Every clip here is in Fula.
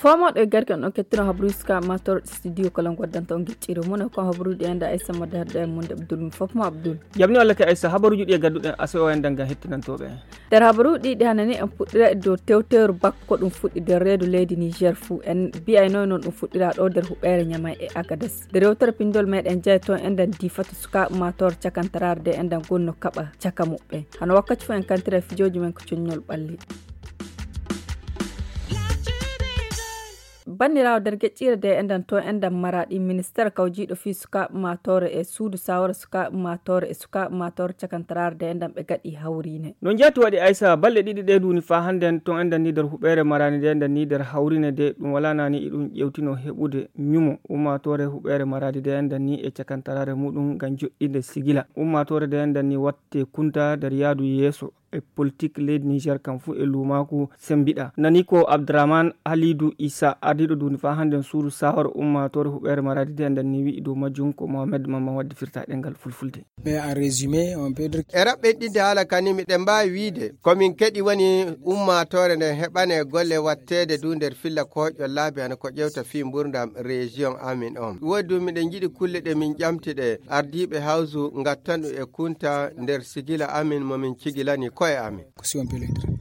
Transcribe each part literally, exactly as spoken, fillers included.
Fomooɗo e garke on kettino habruska mator studio kala goddanta on gicciro mona ko habruɗi enda aysa mo darde e munde abdul fof mo abdul. Jamni walla ke aysa habaruji ɗi e gadduɗen aso o enda ngam hettinantooɓe. Nder habaruji ɗi hanani en puɗɗira e dow tewteru bakko ɗum fuɗɗi nder reedu leydi niger fuu en mbiyayno noon ɗum fuɗɗira ɗo nder huɓeere ñamay e agades nde rewtere pindol meɗen jeyi toon enden difata sukaaɓe mator cakantararde enden gonno kaɓa caka muɓɓen. Hano wakkati fof en kantira e fijooji men ko coññol ɓalli. Banndiraawo nder geƴƴiire de enɗan to enɗan maraɗi ministeer kawjiiɗo fii sukaaɓe maatoore e suudu saawara sukaaɓe maatoore e sukaaɓe maatoore cakantaraare de enɗan ɓe gaɗi hawriine. No njaati waɗi aysa balɗe ɗiɗi ɗe duuni faa hannden to enɗan ni nder huɓeere maraani de enɗan ni nder hawriine de ɗum walaa naani iɗum ƴewtino heɓude ñumo ummaatoore huɓeere maraadi de enɗan ni e cakantaraare muɗum ngam joɗɗinde sigila ummaatoore de enɗan ni watte kunta nder yaadu yeeso e politik leydi niger kam fuu e luumaaku sembiɗa nani ko abdourahmane halidou issa ardiiɗo duuni faa hannden suudu sawar ummaatoore huɓeere maraadi de enɗan ni wi'i dow majjum ko mohamed mamma wadde firta ɗengal fulfulde. E raɓɓen ɗinde haala kani miɗen mbaawi wiide komin keɗi woni ummaatoore nden heɓane golle watteede du nder filla koƴƴo laabi hano ko ƴewta fii mburdam région amin on woodi du miɗen njiɗi kulle ɗe min ƴamti ɗe ardiiɓe hawsu ngattan ɗum e kunta nder sigila amin mo min cigilani koye amin.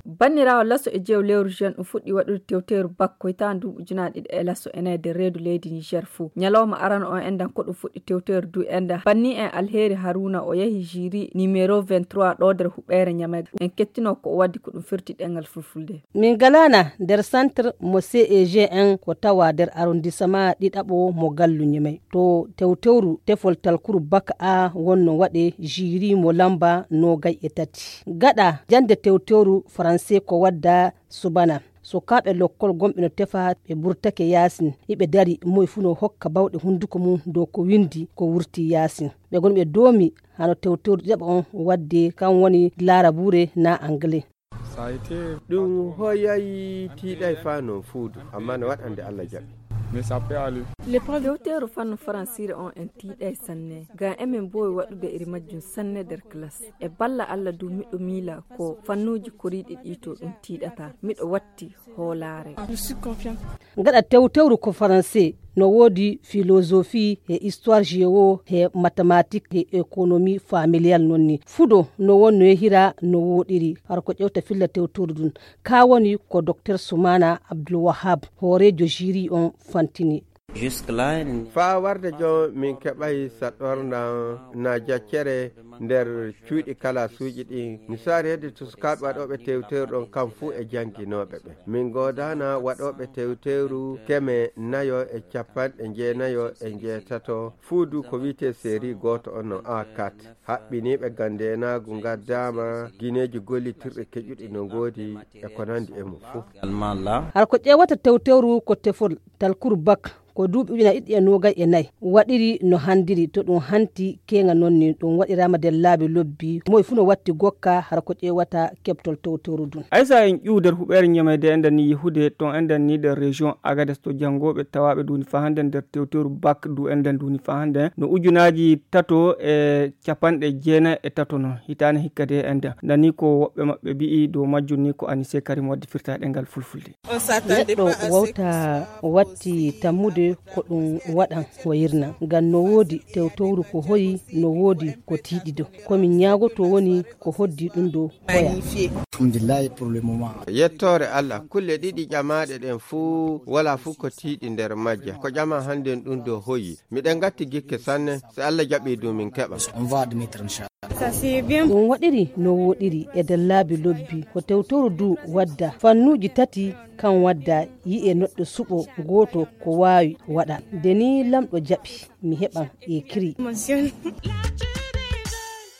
Banniraawo laso e jeew lewru juin ɗum fuɗɗi waɗude tewteeru bakko hitaande duuɓi ujunaaji ɗiɗi e laso ene e nder reedu leydi niger fuu ñalawma arano on enɗan ko ɗum fuɗɗi tewteeru du enɗan banni en alheeri haruna o yahi jiri numéro vingt-trois ɗo nder huɓeere ñamay en kettino ko o waddi ko ɗum firti ɗengal fulfulde. Min ngalaana nder santir mo ceg en ko tawa nder arondisama ɗiɗaɓo mo gallu ñamay to tewtewru tefol talkuru baka a wonno waɗe jiri mo lamba nogay e tati gaɗa jannde tewtewru faranse ko wadda subana sukaaɓe lokkol gomɓe no tefa ɓe burtake yaasin iɓe dari moye fuu no hokka bawɗe hunnduko mum dow ko winndi ko wurti yaasin ɓe goni ɓe doomi hano tewtewru ɗiɗaɓo on wadde kan woni laarabuure na angle. Ɗum hoyayi tiiɗay faa non fuudu amma no waɗande allah jaɓi. Tewteeru fannu faransiire on en tiiɗay sanne ngam emin mboowi waɗude iri majjum sanne nder klas e balla allah du miɗo miila ko fannuuji koriiɗi ɗi to ɗum tiiɗata miɗo watti hoolaare. Gaɗa tewtewru ko faranse no woodi filozofi e histoire géo e mathématique e économie familial non ni fudo no wonno yehira no woɗiri har ko ƴewta filla tewtewru ɗum ka woni ko docteur soumana abdoulwahab hooreejo jiri on fantini. Faa warde jon min keɓay saɗɗorndan na jaccere nder cuuɗi kalaasuuji ɗin misaali hedde to sukaaɓe waɗooɓe tewtewru ɗon kam fuu e jannginooɓe ɓe min goodaana waɗooɓe tewtewru keme nayo e capanɗe njeenayo e njeetato fuu du ko wi'etee seeri gooto on no a kat haɓɓiniiɓe ngam ndeenaagu ngaddaama gineeji gollitirɗi keƴuɗi no ngoodi e ko nanndi e mum fuu. Hara ko ƴeewata tewtewru ko tefol talkuru bak ko duuɓi ujunaaji ɗiɗi e noogay e nayi waɗiri no hanndiri to ɗum hanti keeŋa noon ni ɗum waɗiraama nder laabi lobbi moy fuu no watti gokka hara ko ƴeewata keɓtol tewtewru ndun. Aysa en ƴuw nder huɓeere ñamayde enɗan ni yehude ton enɗan ni nder région agades to janngooɓe tawaaɓe duuni faa hannden nder tewtewru bak du enɗan duuni faa hannden no ujunaaji tato e capanɗe jeenayi e tato non hitaande hikka de enɗan nani ko woɓɓe maɓɓe mbi'i dow majjum ni ko anise karim waddi firta ɗengal fulfulde. Neɗɗo wawta watti tammude ko ɗum waɗan wayirna ngam no woodi tewtowru ko hoyi no woodi ko tiiɗido komin ñaagoto woni ko hoddi ɗum ɗo hoya. Yettoore allah kulle ɗiɗi ƴamaaɗe ɗen fuu wala fuu ko tiiɗi nder majja ko ƴama hannden ɗum ɗo hoyi miɗen ngatti gikke sanne si allah jaɓi du min keɓa. Ɗum waɗiri no woɗiri e nder laabi lobbi ko tewtoru du wadda fannuuji tati kan wadda yi'e neɗɗo suɓo gooto ko waawi waɗa nde ni lamɗo jaɓi mi heɓan e kiri.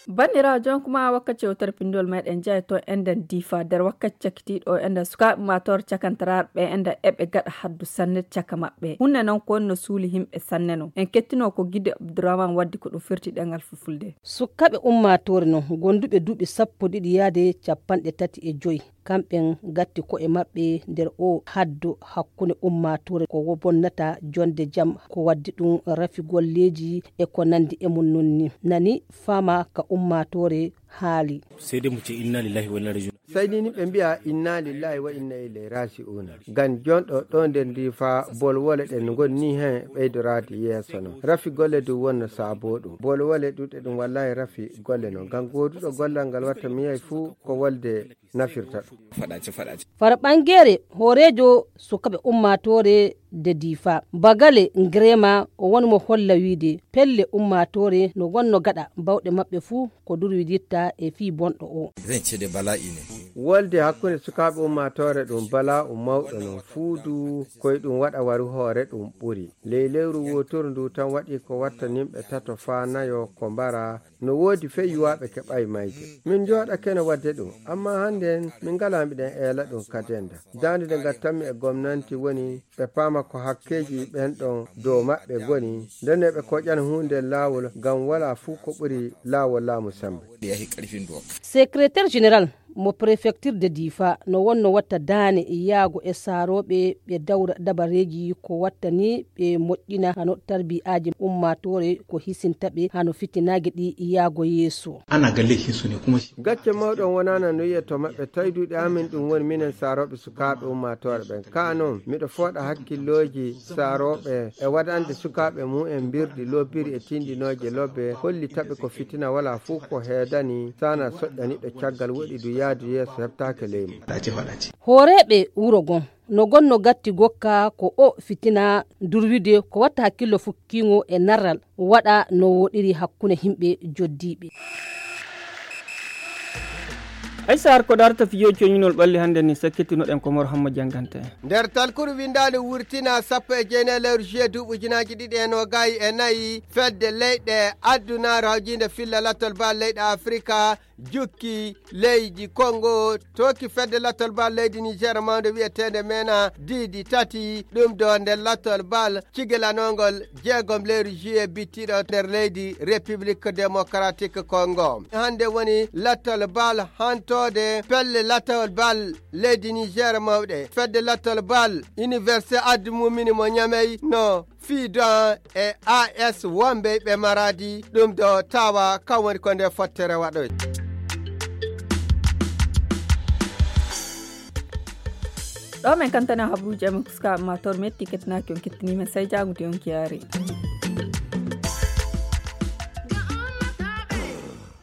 Banndiraawo jonkuma wakkati yewtere pinndol meɗen jeya to enɗen diifa nder wakkati cakitiiɗo enɗen sukaaɓe ma toor cakantaraaɓe enɗen eɓe gaɗa haddu sanne caka maɓɓe hunde noon ko wonno suuli yimɓe sanne noon en kettino ko gide abdourahman waddi ko ɗum firti ɗengal fulfulde. Sukkaaɓe ummaatoore non gonduɓe duuɓi sappo ɗiɗi yaade capanɗe tati e joyi kamɓen gatti ko'e maɓɓe nder o haddo hakkunde ummaatoore ko wo bonnata jonde jam, ko waddi ɗum rafi golleeji e ko nandi e mum. Nun ni nani fama ka ummaatoore haali. Sai dai mu ce inna lillahi wa inna ilaihi raji'un. Sai ni ɓe mbi'a inna lillahi wa inna ilaihi raji'un. Ngam jonɗo ɗo nder ndi fa bolwole ɗen ngoni ni hen ɓeydoraade yeeso non. Rafi golle du wonno saabo ɗum. Bolwole ɗuɗe ɗum wallahi rafi golle non. Ngam gooduɗo gollal ngal watta miyay fuu ko wolde nafirta ɗum. Faɗace, faɗace. Fara ɓangeere hooreejo sukaɓe ummaatoore de diifa. Bagale Ngrema o woni mo holla wiide pelle ummaatoore no wonno gaɗa bawɗe maɓɓe fuu ko durwiditta e fii bonɗo o. Zan ce da bala'i ne. Wolde hakkunde sukaaɓe ummaatoore ɗum bala'u mawɗo non fuu du koye ɗum waɗa waru hoore ɗum ɓuri. Ley lewru wooturu ndu tan waɗi ko watta nimɓe tato faa nayo ko mbara. No woodi fey yuwaaɓe keɓay mayde. Min njooɗake no waɗde ɗum, amma hannden min ngalaa miɗen eela ɗum ka dennda. Daande nde ngattanmi e gomnanti woni ɓe paama ko hakkeeji ɓen ɗon dow maɓɓe ngoni, nden no ɓe koƴana huunde laawol ngam walaa fuu ko ɓuri laawol laamu semmbe. Ɗi yahi ƙarfin doka. Secrétaire général mo préfecture de Difa no wonno watta daane yaago e saarooɓe ɓe dawra dabareeji ko wattani ɓe moƴƴina hano tarbiyyaaji ummaatoore ko hisinta ɓe hano fitinaaji ɗi yaago yeeso. Ana ga laifinsu ne kuma shi. Gacce mawɗo on wonaana no yi'e to maɓɓe, tawi duuɗi amin ɗum woni minen saarooɓe sukaaɓe ummaatoore ɓen. Kaa non, miɗo fooɗa hakkillooji saarooɓe e waɗande sukaaɓe mum en mbirɗi lobbiri e tinndinooje lobbe, hollita ɓe ko fitina walaa fuu ko heedani, saana soƴƴa niɗɗo caggal woɗi du yaadu yeeso heɓtaake ley mum. Hooreeɓe wuro gon no gonno gatti gokka ko o fitina durwide ko watta hakkillo fukkiŋo e narral waɗa no woɗiri hakkunde himɓe joddiiɓe. Ay sahar ko darta fiyo coñinol ɓalli hannde ni sakkitinoɗen ko Mor Hamma Jangante. Nder talkuru winndaali wurtina sappo e jeenayi lewru juillet duuɓi ujunaaji ɗiɗi e noogaayi e nayi, fedde leyɗe addunaare hawjiinde filla lattol bal leyɗe Afrika jukki leydi Kongo, tooki fedde lattol bal leydi Niger mawnde wi'eteende mena diidi tati, ɗum ɗo nder lattol bal cigilanongol jeegom lewru juillet bittiɗo nder leydi République Démocratique Congo. Hannde woni lattol bal hantoode pelle lattol bal leydi Niger mawɗe. Fedde lattol bal Université Addu Mumini mo Ñamey no fii don e A S Wambe ɓe Maradi, ɗum ɗo tawa kan woni ko nde fottere waɗoy. Ɗo men kantana habuji amen kuska ma tor metti kettinaki on kettini men sai jagude on kiyare.